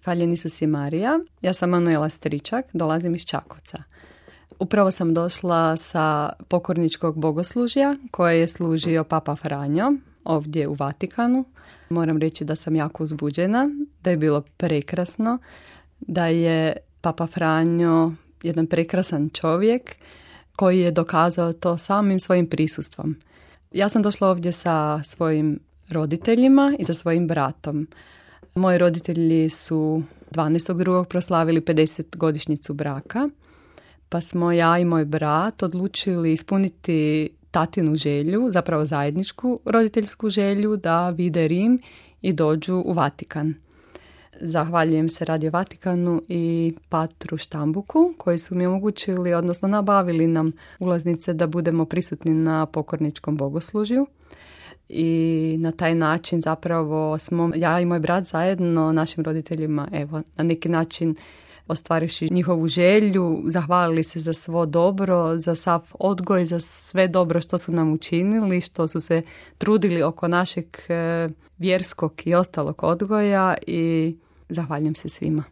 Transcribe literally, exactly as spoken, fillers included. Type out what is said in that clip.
Hvaljen Isus i Marija. Ja sam Manuela Stričak, dolazim iz Čakovca. Upravo sam došla sa pokorničkog bogoslužja koje je služio Papa Franjo ovdje u Vatikanu. Moram reći da sam jako uzbuđena, da je bilo prekrasno, da je Papa Franjo jedan prekrasan čovjek koji je dokazao to samim svojim prisustvom. Ja sam došla ovdje sa svojim roditeljima i sa svojim bratom. Moji roditelji su dvanaestog drugog proslavili pedeset godišnjicu braka, pa smo ja i moj brat odlučili ispuniti tatinu želju, zapravo zajedničku roditeljsku želju da vide Rim i dođu u Vatikan. Zahvaljujem se Radio Vatikanu i Patru Štambuku koji su mi omogućili, odnosno nabavili nam ulaznice da budemo prisutni na pokorničkom bogoslužju. I na taj način zapravo smo ja i moj brat zajedno našim roditeljima evo na neki način ostvarivši njihovu želju, zahvalili se za svo dobro, za sav odgoj, za sve dobro što su nam učinili, što su se trudili oko našeg e, vjerskog i ostalog odgoja i zahvaljujem se svima.